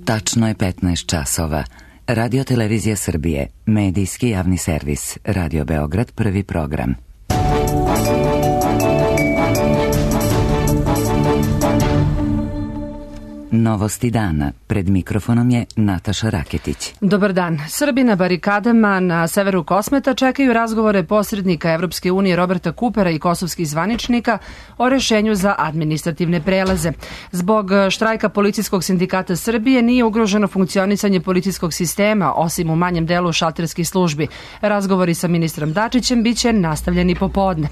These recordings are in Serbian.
Tačno je 15 časova. Radio Televizija Srbije, medijski javni servis, Radio Beograd, prvi program. Novosti dana. Pred mikrofonom je Nataša Raketić. Dobar dan. Srbi na barikadama na severu Kosmeta čekaju razgovore posrednika Evropske unije Roberta Coopera i kosovskih zvaničnika o rešenju za administrativne prelaze. Zbog štrajka policijskog sindikata Srbije nije ugroženo funkcionisanje policijskog sistema, osim u manjem delu šalterskih službi. Razgovori sa ministrom Dačićem biće nastavljeni popodne.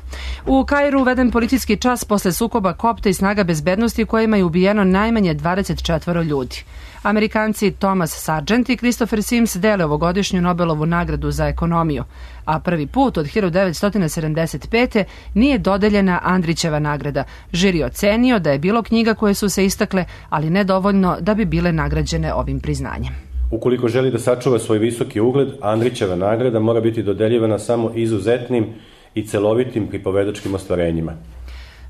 U Kairu uveden policijski čas posle sukoba kopta i snaga bezbednosti u kojima je ubijeno najmanje 24 ljudi. Amerikanci Thomas Sargent i Christopher Sims dele ovogodišnju Nobelovu nagradu za ekonomiju, a prvi put od 1975. nije dodeljena Andrićeva nagrada. Žiri ocenio da je bilo knjiga koje su se istakle, ali ne dovoljno da bi bile nagrađene ovim priznanjem. Ukoliko želi da sačuva svoj visoki ugled, Andrićeva nagrada mora biti dodeljivana samo izuzetnim i celovitim pripovedačkim ostvarenjima.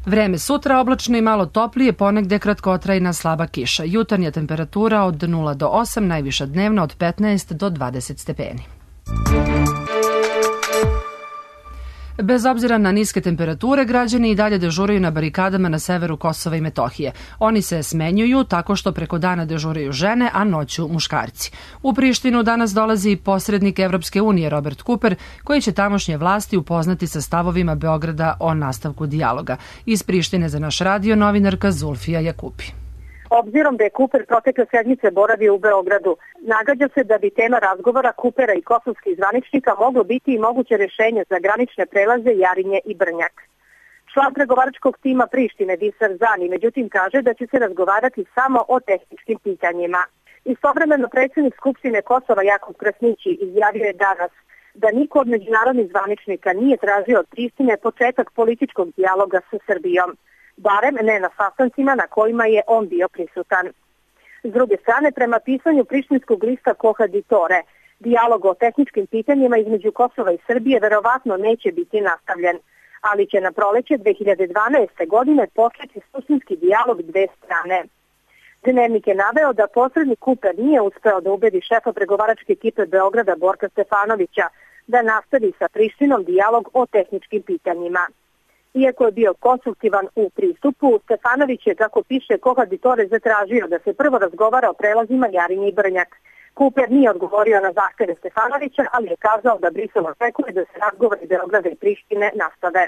Vreme sutra oblačno i malo toplije, ponegde kratkotrajna slaba kiša. Jutarnja temperatura od 0 do 8, najviša dnevna od 15 do 20 stepeni. Bez obzira na niske temperature, građani i dalje dežuraju na barikadama na severu Kosova i Metohije. Oni se smenjuju tako što preko dana dežuraju žene, a noću muškarci. U Prištinu danas dolazi posrednik Evropske unije Robert Cooper, koji će tamošnje vlasti upoznati sa stavovima Beograda o nastavku dijaloga. Iz Prištine za naš radio novinarka Zulfija Jakupi. Obzirom da je Cooper protekle sedmice boravio u Beogradu, nagađa se da bi tema razgovora Coopera i kosovskih zvaničnika moglo biti i moguće rješenje za granične prelaze Jarinje i Brnjak. Član pregovaračkog tima Prištine Disar Zani međutim kaže da će se razgovarati samo o tehničkim pitanjima. Istovremeno predsjednik Skupštine Kosova Jakub Krasnići izjavio je danas da niko od međunarodnih zvaničnika nije tražio od Prištine početak političkog dijaloga sa Srbijom, barem ne na sastancima na kojima je on bio prisutan. S druge strane, prema pisanju prištinskog lista Kohaditore, dijalog o tehničkim pitanjima između Kosova i Srbije verovatno neće biti nastavljen, ali će na proleće 2012. godine početi suštinski dijalog dve strane. Dnevnik je naveo da posrednik Cooper nije uspeo da ubedi šefa pregovaračke ekipe Beograda Borka Stefanovića da nastavi sa Prištinom dijalog o tehničkim pitanjima. Iako je bio konstruktivan u pristupu, Stefanović je, kako piše Kohaditore, zatražio da se prvo razgovara o prelazima Jarinje i Brnjak. Cooper nije odgovorio na zahteve Stefanovića, ali je kazao da Brisel očekuje da se razgovori Beograda i Prištine nastave.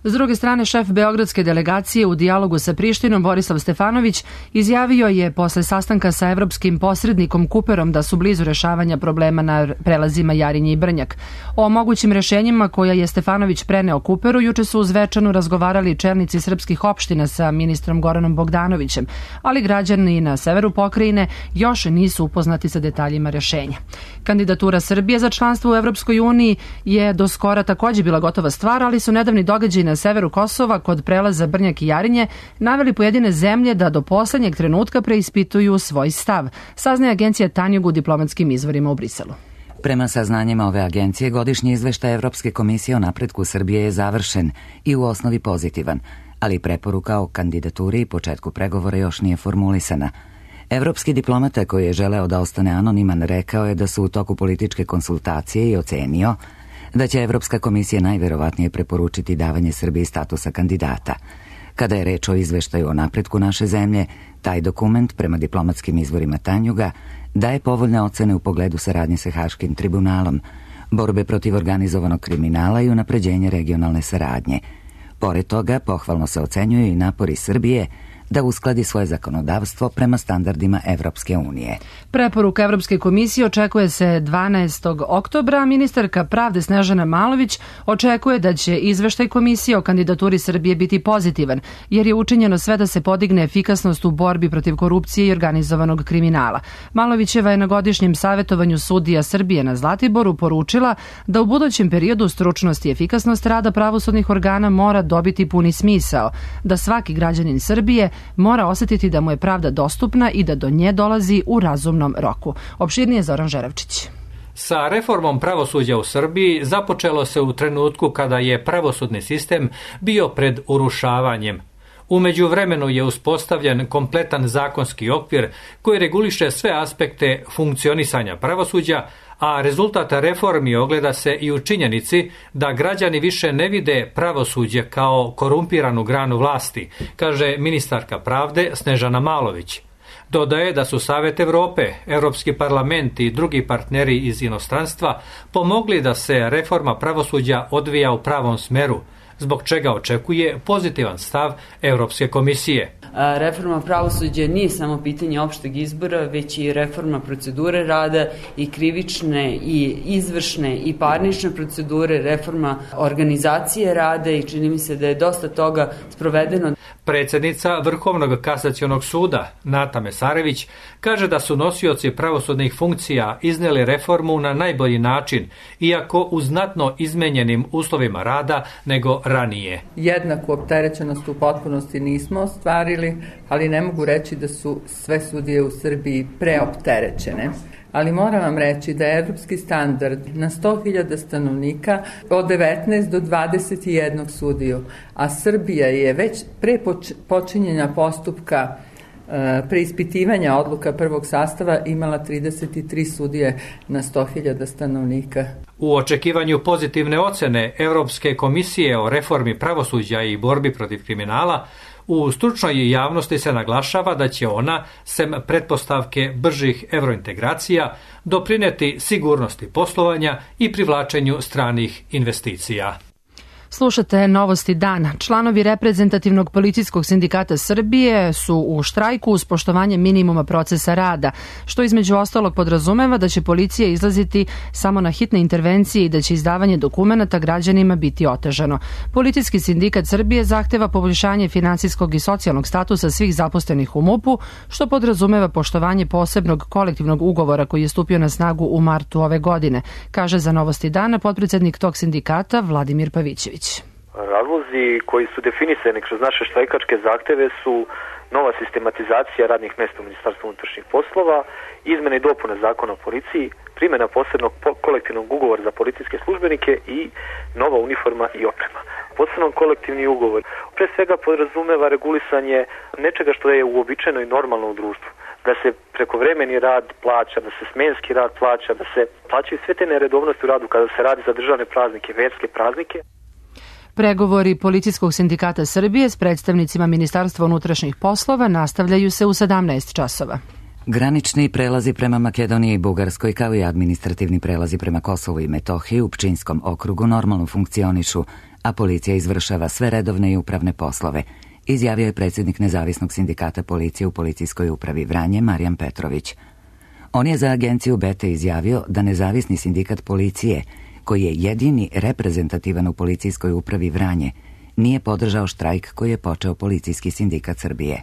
S druge strane, šef beogradske delegacije u dijalogu sa Prištinom Borislav Stefanović izjavio je posle sastanka sa evropskim posrednikom Cooperom da su blizu rešavanja problema na prelazima Jarinje i Brnjak. O mogućim rešenjima koja je Stefanović preneo Cooperu juče su uz večanu razgovarali čelnici srpskih opština sa ministrom Goranom Bogdanovićem, ali građani na severu pokrajine još nisu upoznati sa detaljima rešenja. Kandidatura Srbije za članstvo u Evropskoj uniji je do skora takođe bila gotova stvar, ali su nedavni događaji na severu Kosova kod prelaza Brnjak i Jarinje naveli pojedine zemlje da do poslednjeg trenutka preispituju svoj stav, saznaje agencija Tanjug u diplomatskim izvorima u Briselu. Prema saznanjima ove agencije, godišnji izveštaj Evropske komisije o napretku Srbije je završen i u osnovi pozitivan, ali preporuka o kandidaturi i početku pregovora još nije formulisana. Evropski diplomata koji je želeo da ostane anoniman rekao je da su u toku političke konsultacije i ocenio da će Evropska komisija najverovatnije preporučiti davanje Srbiji statusa kandidata. Kada je reč o izveštaju o napretku naše zemlje, taj dokument, prema diplomatskim izvorima Tanjuga, daje povoljne ocene u pogledu saradnje sa Haškim tribunalom, borbe protiv organizovanog kriminala i unapređenje regionalne saradnje. Pored toga, pohvalno se ocenjuju i napori Srbije da uskladi svoje zakonodavstvo prema standardima Evropske unije. Preporuka Evropske komisije očekuje se 12. oktobra. Ministarka pravde Snežana Malović očekuje da će izveštaj komisije o kandidaturi Srbije biti pozitivan, jer je učinjeno sve da se podigne efikasnost u borbi protiv korupcije i organizovanog kriminala. Malovićeva je na godišnjem savjetovanju sudija Srbije na Zlatiboru poručila da u budućem periodu stručnost i efikasnost rada pravosudnih organa mora dobiti puni smisao, da svaki građanin Srbije mora osjetiti da mu je pravda dostupna i da do nje dolazi u razumnom roku. Opširnije Zoran Žerevčić. Sa reformom pravosuđa u Srbiji započelo se u trenutku kada je pravosudni sistem bio pred urušavanjem. U međuvremenu je uspostavljen kompletan zakonski okvir koji reguliše sve aspekte funkcionisanja pravosuđa, a rezultat reformi ogleda se i u činjenici da građani više ne vide pravosuđe kao korumpiranu granu vlasti, kaže ministarka pravde Snežana Malović. Dodaje da su Savet Evrope, Europski parlament i drugi partneri iz inostranstva pomogli da se reforma pravosuđa odvija u pravom smeru, zbog čega očekuje pozitivan stav Europske komisije. Reforma pravosuđa nije samo pitanje opšteg izbora, već i reforma procedure rada i krivične i izvršne i parnične procedure, reforma organizacije rada i čini mi se da je dosta toga sprovedeno. Predsjednica Vrhovnog kasacionog suda, Nata Mesarević, kaže da su nosioci pravosudnih funkcija iznijeli reformu na najbolji način, iako u znatno izmenjenim uslovima rada nego ranije. Jednaku opterećenost u potpunosti nismo ostvarili, ali ne mogu reći da su sve sudije u Srbiji preopterećene. Ali moram vam reći da je evropski standard na 100.000 stanovnika od 19 do 21 sudiju, a Srbija je već pre počinjenja postupka preispitivanja odluka prvog sastava imala 33 sudije na 100.000 stanovnika. U očekivanju pozitivne ocene Europske komisije o reformi pravosuđa i borbi protiv kriminala, u stručnoj javnosti se naglašava da će ona, sem pretpostavke bržih evrointegracija, doprineti sigurnosti poslovanja i privlačenju stranih investicija. Slušate Novosti dana. Članovi reprezentativnog policijskog sindikata Srbije su u štrajku uz poštovanje minimuma procesa rada, što između ostalog podrazumeva da će policija izlaziti samo na hitne intervencije i da će izdavanje dokumenata građanima biti otežano. Policijski sindikat Srbije zahteva poboljšanje finansijskog i socijalnog statusa svih zaposlenih u MUP-u, što podrazumeva poštovanje posebnog kolektivnog ugovora koji je stupio na snagu u martu ove godine, kaže za Novosti dana potpredsednik tog sindikata Vladimir Pavićević. Razlozi koji su definisani kroz naše štrajkačke zahteve su nova sistematizacija radnih mesta u Ministarstvu unutrašnjih poslova, izmene i dopune zakona o policiji, primjena posebnog kolektivnog ugovora za policijske službenike i nova uniforma i oprema. Posebno kolektivni ugovor pre svega podrazumeva regulisanje nečega što je uobičajeno i normalno u društvu. Da se prekovremeni rad plaća, da se smenski rad plaća, da se plaćaju sve te neredovnosti u radu kada se radi za državne praznike, verske praznike. Pregovori Policijskog sindikata Srbije s predstavnicima Ministarstva unutrašnjih poslova nastavljaju se u 17 časova. Granični prelazi prema Makedoniji i Bugarskoj, kao i administrativni prelazi prema Kosovu i Metohiji u Pčinjskom okrugu normalno funkcionišu, a policija izvršava sve redovne i upravne poslove, izjavio je predsjednik Nezavisnog sindikata policije u Policijskoj upravi Vranje, Marijan Petrović. On je za agenciju BT izjavio da Nezavisni sindikat policije, koji je jedini reprezentativan u Policijskoj upravi Vranje, nije podržao štrajk koji je počeo Policijski sindikat Srbije.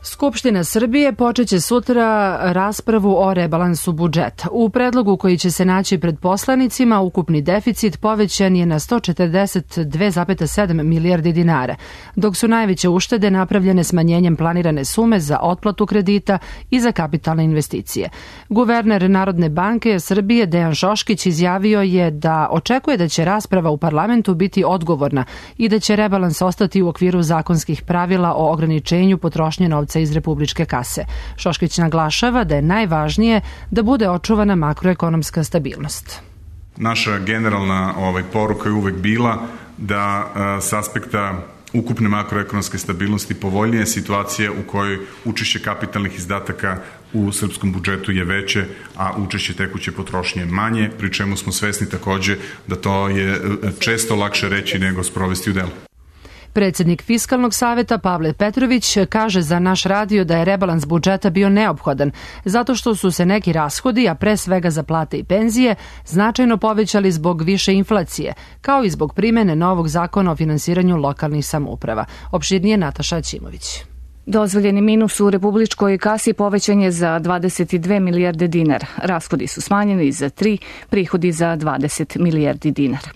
Skupština Srbije počeće sutra raspravu o rebalansu budžeta. U predlogu koji će se naći pred poslanicima, ukupni deficit povećan je na 142,7 milijardi dinara, dok su najveće uštede napravljene smanjenjem planirane sume za otplatu kredita i za kapitalne investicije. Guverner Narodne banke Srbije Dejan Šoškić izjavio je da očekuje da će rasprava u parlamentu biti odgovorna i da će rebalans ostati u okviru zakonskih pravila o ograničenju potrošnje novca iz republičke kase. Šoškić naglašava da je najvažnije da bude očuvana makroekonomska stabilnost. Naša generalna poruka je uvek bila da s aspekta ukupne makroekonomske stabilnosti povoljnije situacije u kojoj učešće kapitalnih izdataka u srpskom budžetu je veće, a učešće tekuće potrošnje manje, pri čemu smo svesni takođe da to je često lakše reći nego sprovesti u delo. Predsjednik Fiskalnog saveta Pavle Petrović kaže za naš radio da je rebalans budžeta bio neophodan, zato što su se neki rashodi, a pre svega za plate i penzije, značajno povećali zbog više inflacije, kao i zbog primene novog zakona o finansiranju lokalnih samouprava. Opširnije Nataša Ćimović. Dozvoljeni minus u republičkoj kasi povećan je za 22 milijarde dinara. Rashodi su smanjeni za 3, prihodi za 20 milijardi dinara.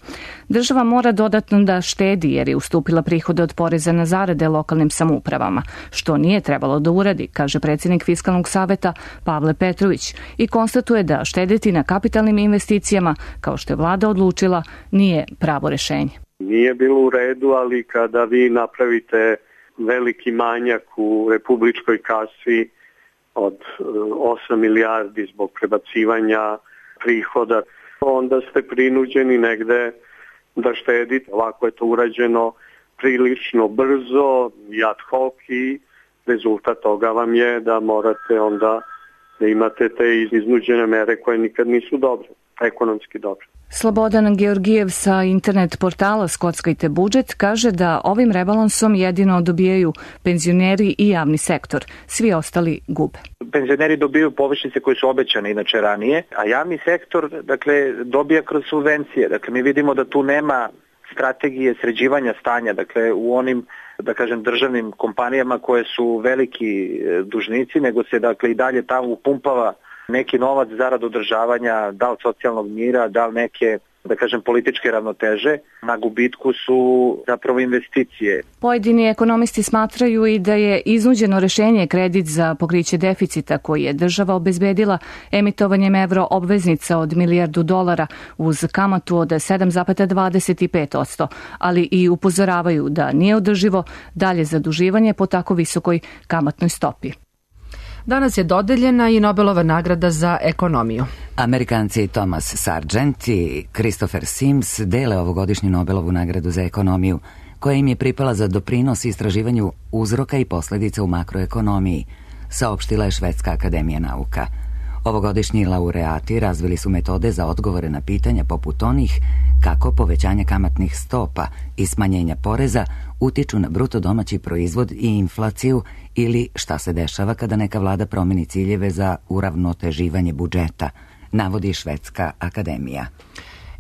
Država mora dodatno da štedi jer je ustupila prihode od poreza na zarade lokalnim samoupravama, što nije trebalo da uradi, kaže predsjednik Fiskalnog saveta Pavle Petrović i konstatuje da štediti na kapitalnim investicijama, kao što je vlada odlučila, nije pravo rešenje. Nije bilo u redu, ali kada vi napravite veliki manjak u republičkoj kasi od 8 milijardi zbog prebacivanja prihoda, onda ste prinuđeni negde da štedite. Ovako je to urađeno prilično brzo i ad hoc i rezultat toga vam je da morate onda da imate te iznuđene mere koje nikad nisu dobre, ekonomski dobre. Slobodan Georgijev sa internet portala Skockajte budžet kaže da ovim rebalansom jedino dobijaju penzioneri i javni sektor, svi ostali gube. Penzioneri dobijaju povišice koje su obećane inače ranije, a javni sektor dobija kroz subvencije. Dakle, mi vidimo da tu nema strategije sređivanja stanja, dakle u onim državnim kompanijama koje su veliki dužnici, nego se i dalje tamo upumpava neki novac zarad održavanja, da li socijalnog mira, da li neke, političke ravnoteže. Na gubitku su zapravo investicije. Pojedini ekonomisti smatraju i da je iznuđeno rešenje kredit za pokriće deficita koji je država obezbedila emitovanjem evro obveznica od $1 milijardu uz kamatu od 7,25%, ali i upozoravaju da nije održivo dalje zaduživanje po tako visokoj kamatnoj stopi. Danas je dodeljena i Nobelova nagrada za ekonomiju. Amerikanci Thomas Sargent i Christopher Sims dele ovogodišnju Nobelovu nagradu za ekonomiju, koja im je pripala za doprinos istraživanju uzroka i posledica u makroekonomiji, saopštila je Švedska akademija nauka. Ovogodišnji laureati razvili su metode za odgovore na pitanja poput onih kako povećanje kamatnih stopa i smanjenja poreza utiču na bruto domaći proizvod i inflaciju ili šta se dešava kada neka vlada promeni ciljeve za uravnoteživanje budžeta, navodi Švedska akademija.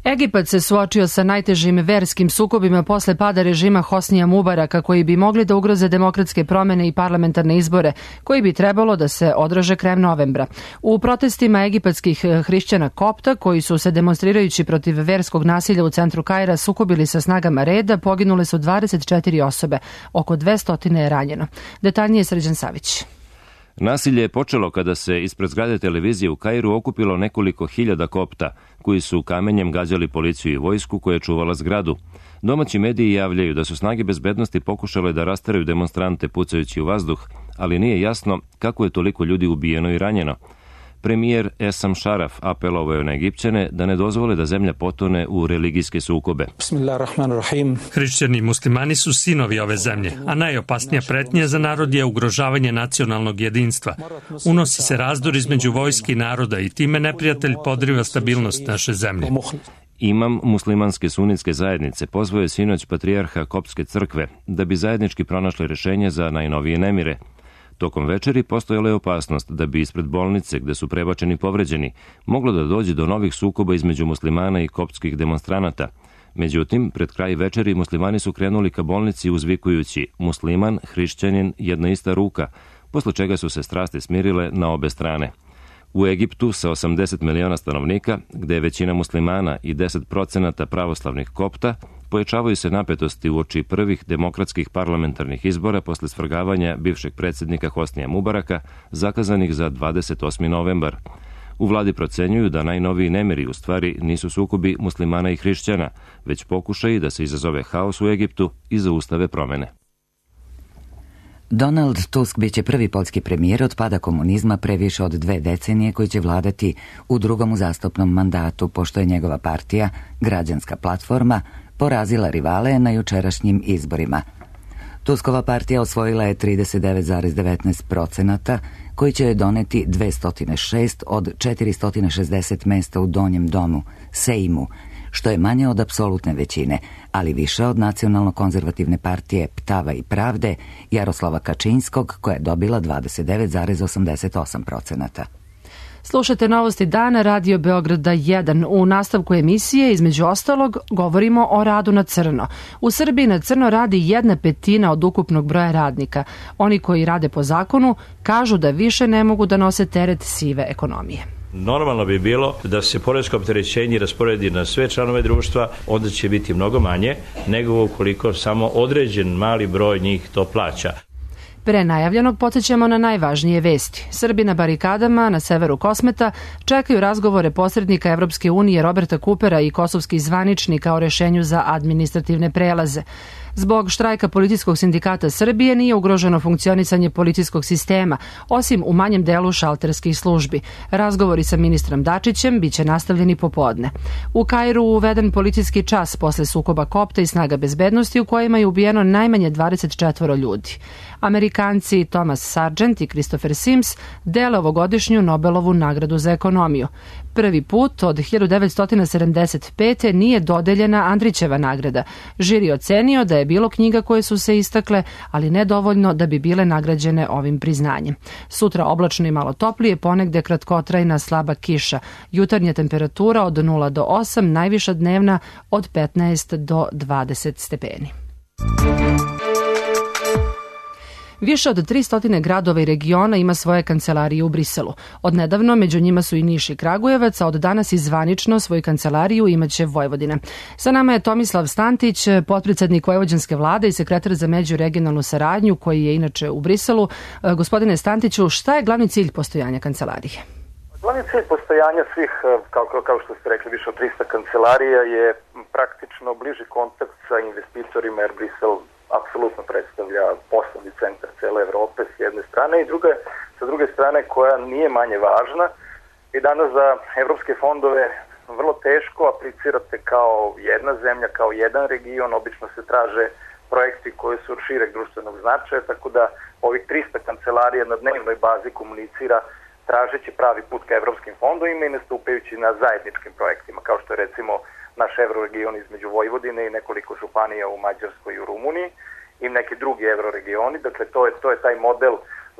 Egipat se suočio sa najtežim verskim sukobima posle pada režima Hosnija Mubaraka, koji bi mogli da ugroze demokratske promene i parlamentarne izbore, koji bi trebalo da se odraže krajem novembra. U protestima egipatskih hrišćana Kopta, koji su se demonstrirajući protiv verskog nasilja u centru Kaira sukobili sa snagama reda, poginule su 24 osobe, oko 200 je ranjeno. Detaljnije Srđan Savić. Nasilje je počelo kada se ispred zgrade televizije u Kairu okupilo nekoliko hiljada Kopta, koji su kamenjem gađali policiju i vojsku koja je čuvala zgradu. Domaći mediji javljaju da su snage bezbednosti pokušale da rasteraju demonstrante pucajući u vazduh, ali nije jasno kako je toliko ljudi ubijeno i ranjeno. Premijer Esam Šaraf apelovao je na Egipćane da ne dozvole da zemlja potone u religijske sukobe. Hrišćani i muslimani su sinovi ove zemlje, a najopasnija pretnja za narod je ugrožavanje nacionalnog jedinstva. Unosi se razdor između vojske i naroda i time neprijatelj podriva stabilnost naše zemlje. Imam muslimanske sunitske zajednice pozvao je sinoć patrijarha Koptske crkve da bi zajednički pronašli rešenje za najnovije nemire. Tokom večeri postojala je opasnost da bi ispred bolnice, gde su prebačeni povređeni, moglo da dođe do novih sukoba između muslimana i koptskih demonstranata. Međutim, pred kraj večeri muslimani su krenuli ka bolnici uzvikujući musliman, hrišćanin, jedna ista ruka, posle čega su se strasti smirile na obe strane. U Egiptu sa 80 miliona stanovnika, gde je većina muslimana i 10% pravoslavnih Kopta, pojačavaju se napetosti uoči prvih demokratskih parlamentarnih izbora posle svrgavanja bivšeg predsjednika Hosnija Mubaraka, zakazanih za 28. novembar. U vladi procenjuju da najnoviji nemiri u stvari nisu sukobi muslimana i hrišćana, već pokušaji da se izazove haos u Egiptu i zaustave promene. Donald Tusk biće prvi poljski premijer od pada komunizma pre više od 2 decenije koji će vladati u drugom uzastopnom mandatu, pošto je njegova partija, Građanska platforma, porazila rivale na jučerašnjim izborima. Tuskova partija osvojila je 39,19%, koji će joj doneti 206 od 460 mesta u Donjem domu, Sejmu, što je manje od apsolutne većine, ali više od nacionalno-konzervativne partije Ptava i Pravde Jaroslava Kačinskog, koja je dobila 29,88%. Slušate novosti dana Radio Beograda 1. U nastavku emisije, između ostalog, govorimo o radu na crno. U Srbiji na crno radi 1/5 od ukupnog broja radnika. Oni koji rade po zakonu kažu da više ne mogu da nose teret sive ekonomije. Normalno bi bilo da se poresko opterećenje rasporedi na sve članove društva, onda će biti mnogo manje nego ukoliko samo određen mali broj njih to plaća. Pre najavljenog podsjećamo na najvažnije vesti. Srbi na barikadama na severu Kosmeta čekaju razgovore posrednika Evropske unije Roberta Kupera i kosovskih zvaničnika o rešenju za administrativne prelaze. Zbog štrajka Policijskog sindikata Srbije nije ugroženo funkcionisanje policijskog sistema, osim u manjem delu šalterskih službi. Razgovori sa ministrom Dačićem biće nastavljeni popodne. U Kairu uveden policijski čas posle sukoba kopta i snaga bezbednosti u kojima je ubijeno najmanje 24 ljudi. Amerikanci Thomas Sargent i Christopher Sims dele ovogodišnju Nobelovu nagradu za ekonomiju. Prvi put od 1975. nije dodeljena Andrićeva nagrada. Žiri ocenio da je bilo knjiga koje su se istakle, ali ne dovoljno da bi bile nagrađene ovim priznanjem. Sutra oblačno i malo toplije, ponegde kratkotrajna slaba kiša. Jutarnja temperatura od 0 do 8, najviša dnevna od 15 do 20 stepeni. Više od 300 gradova i regiona ima svoje kancelarije u Briselu. Od nedavno među njima su i Niš i Kragujevac, a od danas i zvanično svoju kancelariju imaće Vojvodina. Sa nama je Tomislav Stantić, potpredsednik Vojvođanske vlade i sekretar za međuregionalnu saradnju, koji je inače u Briselu. Gospodine Stantiću, šta je glavni cilj postojanja kancelarije? Glavni cilj postojanja svih, kao što ste rekli, više od 300 kancelarija je praktično bliži kontakt sa investitorima, jer Brisel apsolutno predstavlja poslovni centar cele Evrope s jedne strane i sa druge strane koja nije manje važna. I danas za evropske fondove vrlo teško aplicirate kao jedna zemlja, kao jedan region, obično se traže projekti koji su od šireg društvenog značaja, tako da ovih 300 kancelarija na dnevnoj bazi komunicira tražeći pravi put ka evropskim fondovima i nastupajući na zajedničkim projektima, kao što je recimo naš evroregion između Vojvodine i nekoliko županija u Mađarskoj i u Rumuniji i neki drugi evroregioni. Dakle, to je taj model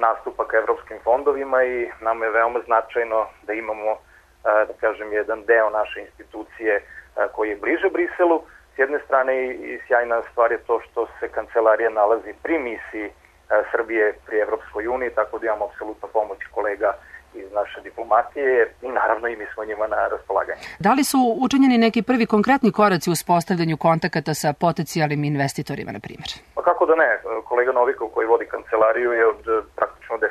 nastupa ka evropskim fondovima i nam je veoma značajno da imamo, da kažem, jedan deo naše institucije koji je bliže Briselu. S jedne strane i sjajna stvar je to što se kancelarija nalazi pri misiji Srbije pri Evropskoj uniji, tako da imamo apsolutno pomoć kolega iz naše diplomatije i naravno i mi smo njima na raspolaganju. Da li su učinjeni neki prvi konkretni koraci u uspostavljanju kontakata sa potencijalnim investitorima, na primjer? Pa kako da ne, kolega Novikov koji vodi kancelariju je od praktično 10.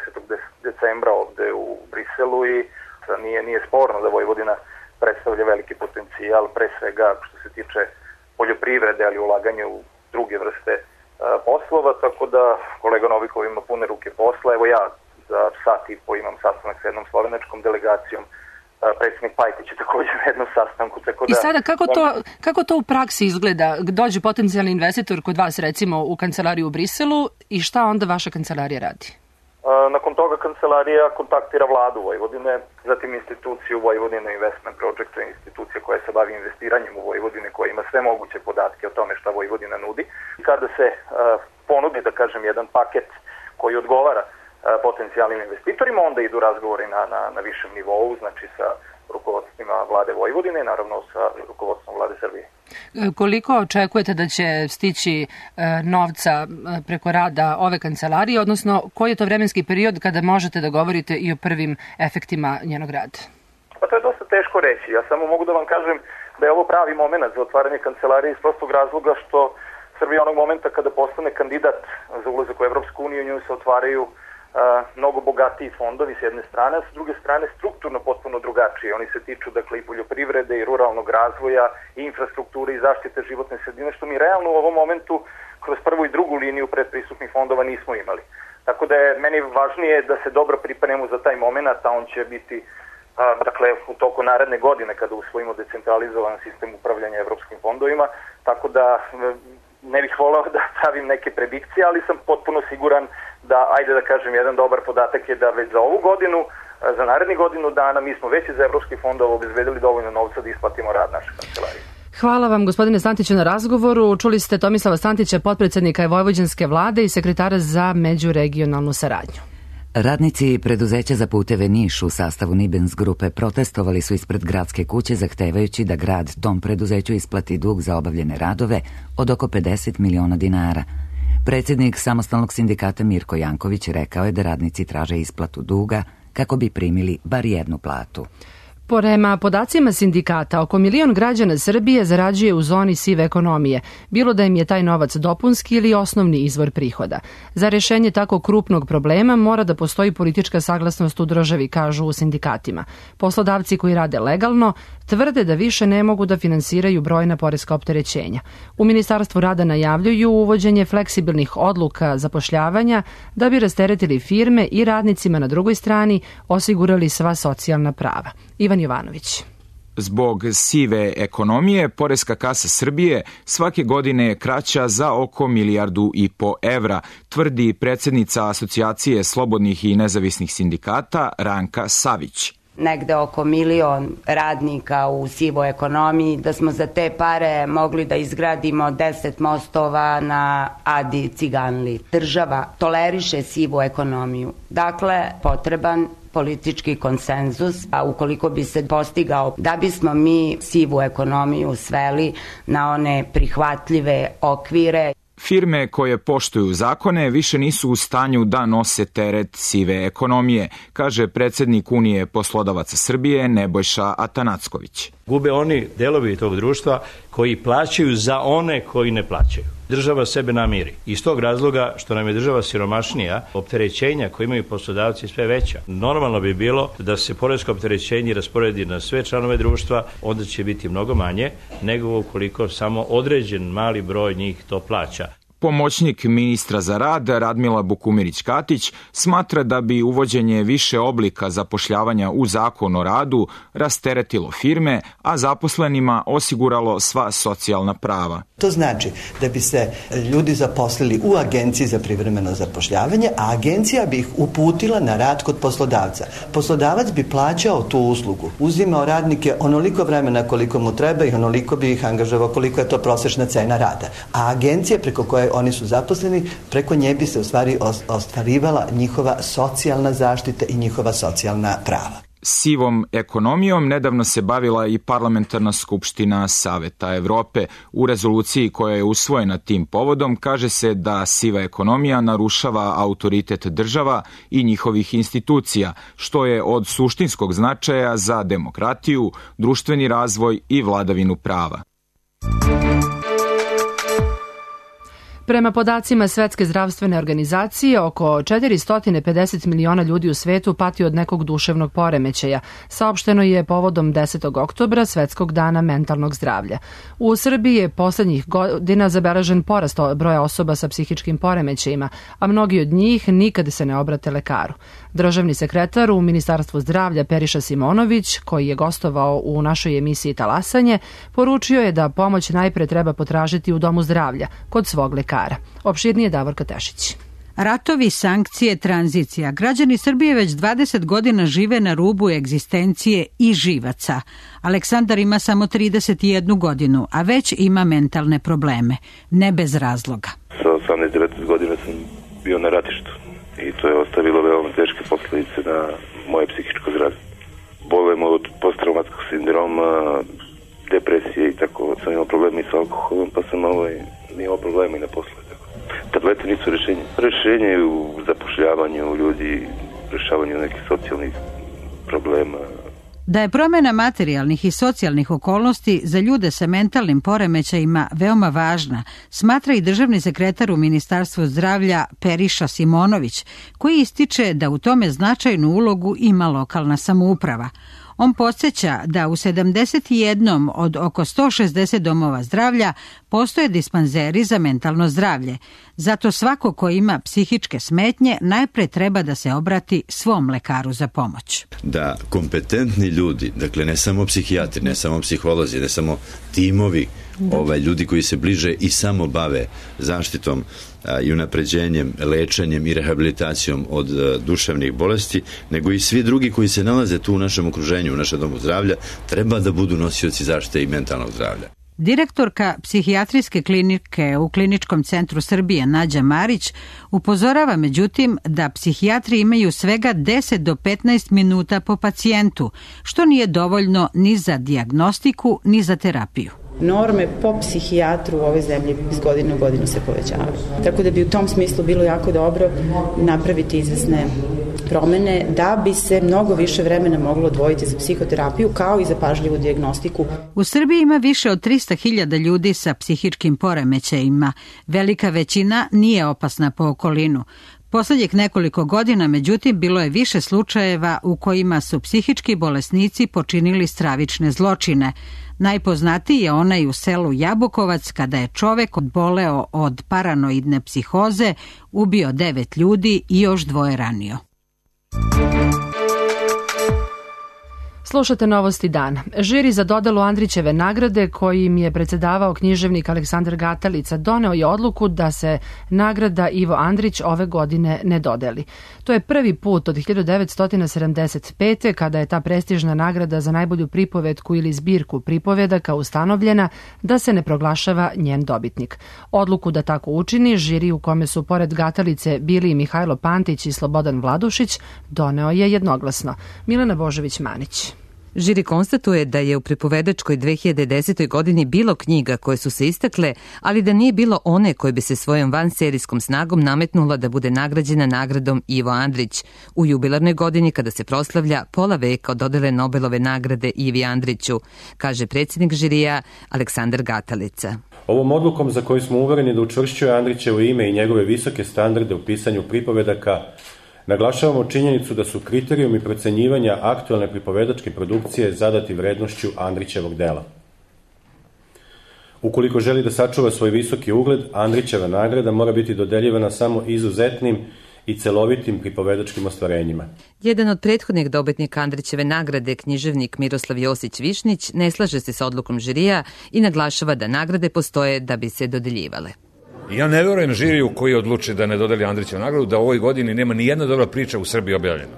decembra ovde u Briselu i nije sporno da Vojvodina predstavlja veliki potencijal, pre svega što se tiče poljoprivrede, ali ulaganje u druge vrste poslova, tako da kolega Novikov ima pune ruke posla. Evo ja za sat i po imam sastanak sa jednom slovenačkom delegacijom, predsjednik Pajtić je također na jednom sastanku. Tako da, i sada kako to u praksi izgleda? Dođe potencijalni investitor kod vas recimo u kancelariju u Briselu i šta onda vaša kancelarija radi? Nakon toga kancelarija kontaktira vladu Vojvodine, zatim instituciju Vojvodine Investment Project, institucija koja se bavi investiranjem u Vojvodine, koja ima sve moguće podatke o tome šta Vojvodina nudi. Kada se ponudi, da kažem, jedan paket koji odgovara potencijalnim investitorima, onda idu razgovori na višem nivou, znači sa rukovodstvima vlade Vojvodine i naravno sa rukovodstvom vlade Srbije. Koliko očekujete da će stići novca preko rada ove kancelarije, odnosno koji je to vremenski period kada možete da govorite i o prvim efektima njenog rada? Pa to je dosta teško reći. Ja samo mogu da vam kažem da je ovo pravi moment za otvaranje kancelarije iz prostog razloga što Srbija onog momenta kada postane kandidat za ulazak u Evropsku uniju, njoj se otvaraju mnogo bogatiji fondovi s jedne strane, a s druge strane strukturno potpuno drugačije. Oni se tiču dakle i poljoprivrede i ruralnog razvoja i infrastrukture i zaštite životne sredine, što mi realno u ovom momentu kroz prvu i drugu liniju predpristupnih fondova nismo imali. Tako da je meni važnije da se dobro pripremimo za taj moment, a on će biti dakle u toku naredne godine kada usvojimo decentralizovan sistem upravljanja evropskim fondovima, tako da ne bih volao da pravim neke predikcije, ali sam potpuno siguran da, ajde da kažem, jedan dobar podatak je da već za ovu godinu, za naredni godinu dana, mi smo već iz evropskih fondova obezbedili dovoljno novca da isplatimo rad naše kancelarije. Hvala vam, gospodine Stantiću, na razgovoru. Čuli ste Tomislava Stantića, potpredsednika Vojvođanske vlade i sekretara za međuregionalnu saradnju. Radnici preduzeća za puteve Niš u sastavu Nibens grupe protestovali su ispred gradske kuće zahtevajući da grad tom preduzeću isplati dug za obavljene radove od oko 50 miliona dinara. Predsjednik samostalnog sindikata Mirko Janković rekao je da radnici traže isplatu duga kako bi primili bar jednu platu. Prema podacima sindikata, oko 1 milion građana Srbije zarađuje u zoni sive ekonomije, bilo da im je taj novac dopunski ili osnovni izvor prihoda. Za rešenje tako krupnog problema mora da postoji politička saglasnost u državi, kažu u sindikatima. Poslodavci koji rade legalno tvrde da više ne mogu da finansiraju brojna poreska opterećenja. U Ministarstvu rada najavljuju uvođenje fleksibilnih odluka zapošljavanja da bi rasteretili firme i radnicima na drugoj strani osigurali sva socijalna prava. Ivan Jovanović. Zbog sive ekonomije, poreska kasa Srbije svake godine je kraća za oko 1,5 milijardu evra, tvrdi predsjednica Asocijacije slobodnih i nezavisnih sindikata Ranka Savić. Negde oko 1 milion radnika u sivoj ekonomiji, da smo za te pare mogli da izgradimo 10 mostova na Adi Ciganli. Država toleriše sivu ekonomiju. Dakle, potreban politički konsenzus, a ukoliko bi se postigao da bismo mi sivu ekonomiju sveli na one prihvatljive okvire. Firme koje poštuju zakone više nisu u stanju da nose teret sive ekonomije, kaže predsjednik Unije poslodavaca Srbije Nebojša Atanacković. Gube oni delovi tog društva koji plaćaju za one koji ne plaćaju. Država sebe namiri. Iz tog razloga što nam je država siromašnija, opterećenja koje imaju poslodavci sve veća. Normalno bi bilo da se poresko opterećenje rasporedi na sve članove društva, onda će biti mnogo manje nego ukoliko samo određen mali broj njih to plaća. Pomoćnik ministra za rad Radmila Bukumirić-Katić smatra da bi uvođenje više oblika zapošljavanja u Zakon o radu rasteretilo firme, a zaposlenima osiguralo sva socijalna prava. To znači da bi se ljudi zaposlili u agenciji za privremeno zapošljavanje, a agencija bi ih uputila na rad kod poslodavca. Poslodavac bi plaćao tu uslugu, uzimao radnike onoliko vremena koliko mu treba i onoliko bi ih angažovao koliko je to prosječna cena rada. A agencija preko koje oni su zaposleni, preko nje bi se u stvari ostvarivala njihova socijalna zaštita i njihova socijalna prava. Sivom ekonomijom nedavno se bavila i Parlamentarna skupština Saveta Evrope. U rezoluciji koja je usvojena tim povodom kaže se da siva ekonomija narušava autoritet država i njihovih institucija, što je od suštinskog značaja za demokratiju, društveni razvoj i vladavinu prava. Prema podacima Svetske zdravstvene organizacije, oko 450 miliona ljudi u svetu pati od nekog duševnog poremećaja. Saopšteno je povodom 10. oktobra, Svetskog dana mentalnog zdravlja. U Srbiji je poslednjih godina zabeležen porast broja osoba sa psihičkim poremećajima, a mnogi od njih nikad se ne obrate lekaru. Državni sekretar u Ministarstvu zdravlja Periša Simonović, koji je gostovao u našoj emisiji Talasanje, poručio je da pomoć najpre treba potražiti u domu zdravlja, kod svog lekara. Opširnije Davorka Tešić. Ratovi, sankcije, tranzicija. Građani Srbije već 20 godina žive na rubu egzistencije i živaca. Aleksandar ima samo 31 godinu, a već ima mentalne probleme. Ne bez razloga. Sa 18-19 godina sam bio na ratištu i to je ostavilo veoma teške posljedice na moje psihičko zdravlje. Bolujem od posttraumatskog sindroma, depresije i tako. Sam imao problemi sa alkoholom, pa sam imao problema i na poslu. Tablete nisu rješenje. Rješenje je u zapošljavanju ljudi, rješavanju nekih socijalnih problema. Da je promjena materijalnih i socijalnih okolnosti za ljude sa mentalnim poremećajima veoma važna, smatra i državni sekretar u Ministarstvu zdravlja Periša Simonović, koji ističe da u tome značajnu ulogu ima lokalna samouprava. On podsjeća da u 71 od oko 160 domova zdravlja postoje dispanzeri za mentalno zdravlje. Zato svako ko ima psihičke smetnje najpre treba da se obrati svom lekaru za pomoć. Da kompetentni ljudi, dakle ne samo psihijatri, ne samo psiholozi, ne samo timovi, ljudi koji se bliže i samo bave zaštitom i unapređenjem, lečenjem i rehabilitacijom od duševnih bolesti, nego i svi drugi koji se nalaze tu u našem okruženju, u našem domu zdravlja, treba da budu nosioci zaštite i mentalnog zdravlja. Direktorka psihijatrijske klinike u Kliničkom centru Srbije Nađa Marić upozorava međutim da psihijatri imaju svega 10 do 15 minuta po pacijentu, što nije dovoljno ni za dijagnostiku ni za terapiju. Norme po psihijatru u ovoj zemlji iz godine u godinu se povećavaju. Tako da bi u tom smislu bilo jako dobro napraviti izvesne promene da bi se mnogo više vremena moglo odvojiti za psihoterapiju kao i za pažljivu dijagnostiku. U Srbiji ima više od 300.000 ljudi sa psihičkim poremećajima. Velika većina nije opasna po okolinu. Poslednjih nekoliko godina, međutim, bilo je više slučajeva u kojima su psihički bolesnici počinili stravične zločine. Najpoznatiji je onaj u selu Jabukovac kada je čovek odboleo od paranoidne psihoze, ubio 9 ljudi i još 2 ranio. Slušate Novosti dana. Žiri za dodelu Andrićeve nagrade, kojim je predsedavao književnik Aleksandar Gatalica, doneo je odluku da se nagrada Ivo Andrić ove godine ne dodeli. To je prvi put od 1975. kada je ta prestižna nagrada za najbolju pripovetku ili zbirku pripovedaka ustanovljena da se ne proglašava njen dobitnik. Odluku da tako učini, žiri u kome su pored Gatalice bili i Mihajlo Pantić i Slobodan Vladušić, doneo je jednoglasno. Milena Božović-Manić. Žiri konstatuje da je u pripovedačkoj 2010. godini bilo knjiga koje su se istakle, ali da nije bilo one koje bi se svojom vanserijskom snagom nametnula da bude nagrađena nagradom Ivo Andrić u jubilarnoj godini kada se proslavlja pola veka od dodele Nobelove nagrade Ivi Andriću, kaže predsjednik žirija Aleksandar Gatalica. Ovom odlukom za koju smo uvereni da učvršćuje Andrićevo ime i njegove visoke standarde u pisanju pripovedaka, naglašavamo činjenicu da su kriterijumi procenjivanja aktualne pripovedačke produkcije zadati vrednošću Andrićevog dela. Ukoliko želi da sačuva svoj visoki ugled, Andrićeva nagrada mora biti dodeljivana samo izuzetnim i celovitim pripovedačkim ostvarenjima. Jedan od prethodnih dobitnika Andrićeve nagrade, književnik Miroslav Josić-Višnić, ne slaže se sa odlukom žirija i naglašava da nagrade postoje da bi se dodeljivale. Ja ne verujem žiriju koji odluči da ne dodeli Andrićevu nagradu, da u ovoj godini nema ni jedna dobra priča u Srbiji objavljena.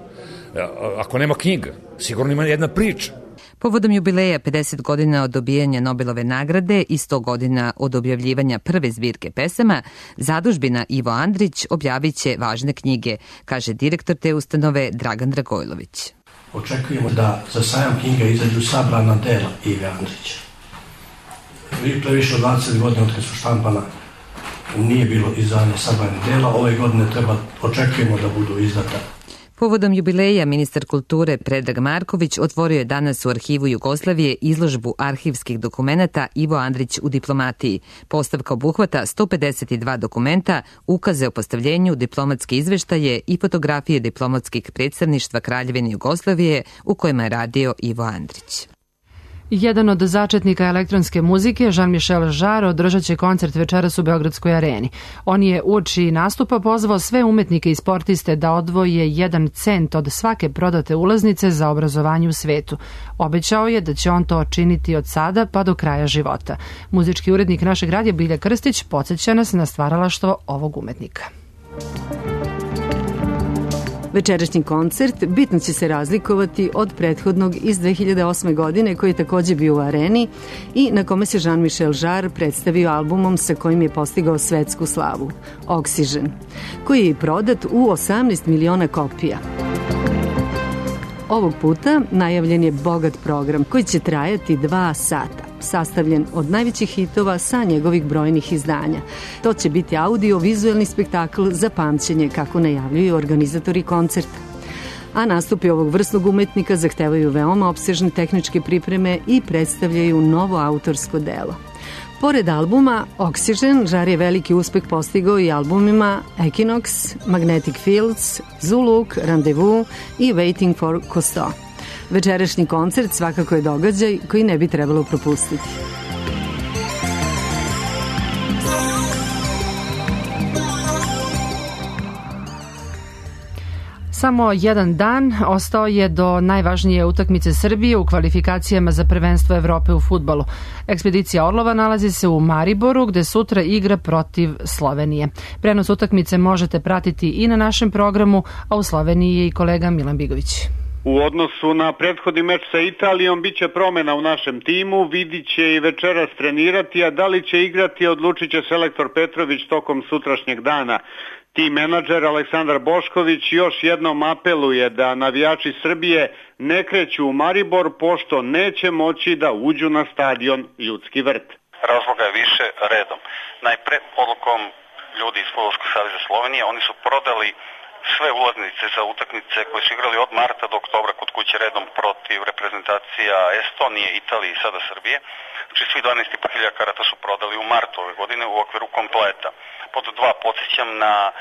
Ako nema knjiga, sigurno ima jedna priča. Povodom jubileja 50 godina od dobijanja Nobelove nagrade i 100 godina od objavljivanja prve zbirke pesama, zadužbina Ivo Andrić objavit će važne knjige, kaže direktor te ustanove Dragan Dragojlović. Očekujemo da za sajam knjiga izađu sabrana dela Ive Andrića. To je više od 20 godina od kad su štampana, nije bilo izdanja sabranih dela. Ove godine očekujemo da budu izdata. Povodom jubileja ministar kulture Predrag Marković otvorio je danas u Arhivu Jugoslavije izložbu arhivskih dokumenata Ivo Andrić u diplomatiji. Postavka obuhvata 152 dokumenta, ukaze o postavljenju, diplomatske izveštaje i fotografije diplomatskih predstavništva Kraljevine Jugoslavije u kojima je radio Ivo Andrić. Jedan od začetnika elektronske muzike, Jean-Michel Jarre, održat će koncert večeras u Beogradskoj areni. On je uoči nastupa pozvao sve umetnike i sportiste da odvoje 1 cent od svake prodate ulaznice za obrazovanje u svetu. Obećao je da će on to činiti od sada pa do kraja života. Muzički urednik našeg radija Bilja Krstić podsjeća nas na stvaralaštvo ovog umetnika. Večerašnji koncert bitno će se razlikovati od prethodnog iz 2008. godine koji je takođe bio u areni i na kome se Jean-Michel Jarre predstavio albumom sa kojim je postigao svetsku slavu, Oxygen, koji je prodat u 18 miliona kopija. Ovog puta najavljen je bogat program koji će trajati 2 sata, sastavljen od najvećih hitova sa njegovih brojnih izdanja. To će biti audio-vizuelni spektakl za pamćenje, kako najavljuju organizatori koncerta. A nastupi ovog vrsnog umetnika zahtevaju veoma opsežne tehničke pripreme i predstavljaju novo autorsko delo. Pored albuma Oxygen, Jarre je veliki uspeh postigao i albumima Equinox, Magnetic Fields, Zuluk, Rendezvous i Waiting for Cousteau. Večerašnji koncert svakako je događaj koji ne bi trebalo propustiti. Samo jedan dan ostao je do najvažnije utakmice Srbije u kvalifikacijama za prvenstvo Evrope u fudbalu. Ekspedicija Orlova nalazi se u Mariboru, gde sutra igra protiv Slovenije. Prenos utakmice možete pratiti i na našem programu, a u Sloveniji je i kolega Milan Bigović. U odnosu na prethodni meč sa Italijom biće promena u našem timu, Vidić će i večeras trenirati, a da li će igrati odlučit će selektor Petrović tokom sutrašnjeg dana. Tim menadžer Aleksandar Bošković još jednom apeluje da navijači Srbije ne kreću u Maribor pošto neće moći da uđu na stadion Ljudski vrt. Razloga je više redom. Najpre odlukom ljudi iz Fudbalskog saveza Slovenije, oni su prodali sve ulaznice za utakmice koje su igrali od marta do oktobra kod kuće redom protiv reprezentacija Estonije, Italije i sada Srbije. Znači svi 12.500 karata su prodali u martu ove godine u okviru kompleta. Pod 2 podsjećam na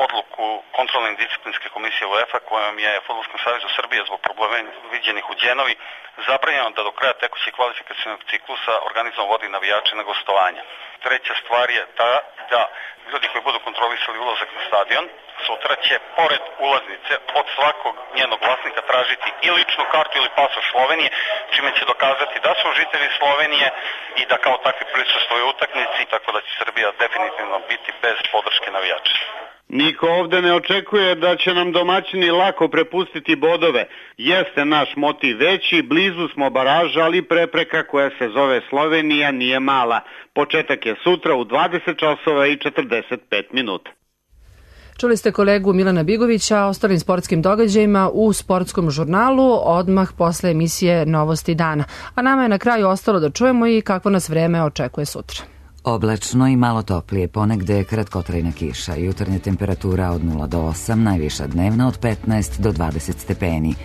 odluku kontrolne i disciplinske komisije UEFA kojom je Fudbalskom savezu Srbije zbog problema viđenih u Đenovi zabranjeno da do kraja tekućeg kvalifikacionog ciklusa organizam vodi navijače na gostovanja. Treća stvar je ta da ljudi koji budu kontrolisali ulazak na stadion sutra će pored ulaznice od svakog njenog vlasnika tražiti i ličnu kartu ili pasoš Slovenije, čime će dokazati da su žitelji Slovenije i da kao takvi prisustvuju utakmici, tako da će Srbija definitivno biti bez podrške navijača. Niko ovde ne očekuje da će nam domaćini lako prepustiti bodove. Jeste naš motiv veći, blizu smo baraža, ali prepreka koja se zove Slovenija nije mala. Početak je sutra u 20 časova i 45 minuta. Čuli ste kolegu Milana Bigovića o ostalim sportskim događajima u sportskom žurnalu odmah posle emisije Novosti dana. A nama je na kraju ostalo da čujemo i kako nas vreme očekuje sutra. Oblačno i malo toplije, ponegde kratkotrajna kiša, jutarnja temperatura od 0 do 8, najviša dnevna od 15 do 20 stepeni.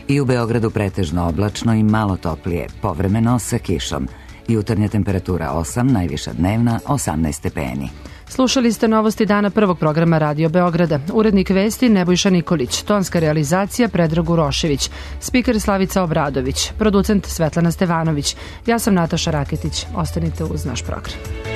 I u Beogradu pretežno oblačno i malo toplije, povremeno sa kišom. Jutarnja temperatura 8, najviša dnevna 18 stepeni. Slušali ste Novosti dana prvog programa Radio Beograda. Urednik vesti Nebojša Nikolić, tonska realizacija Predrag Urošević, spiker Slavica Obradović, producent Svetlana Stevanović. Ja sam Nataša Raketić. Ostanite uz naš program.